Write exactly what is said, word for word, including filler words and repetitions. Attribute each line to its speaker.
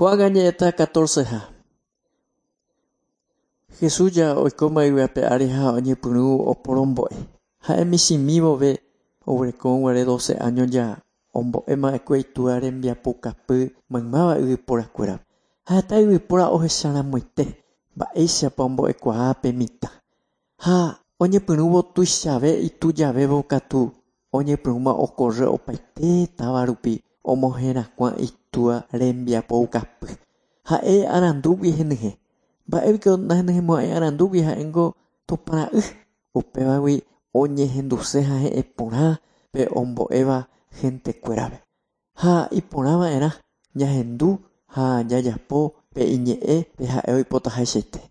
Speaker 1: Ko'ág̃a ñe'ẽta catorce-ha. Jesús ja oikóma yvy ári ha oñepyrũ oporombo'e. Ha'e michĩmi vove oguerekórõguare doce años ja ombo'emava'ekue itúva rembiapokapy maymáva yvyporakuérape. Ha heta yvypóra ohecharamoite mba'éichapa ombo'ekuaa pe mitã. Ha oñepyrũvo tuichave itujavévo katu oñepyrũma okorre opaite táva rupi omoherakuã itúva rembiapoukapy. Ha'e arandúgui henyhẽ. Mba'épiko nahenyhẽmo'ãi arandúgui ha'éngo Tupãra'y. Upévagui oñehenduse ha he'ẽ porã pe ombo'éva gentekuérape. Ha iporãva'erã ñahendu ha jajapo pe iñe'ẽ pe ha'e oipotahaichaite.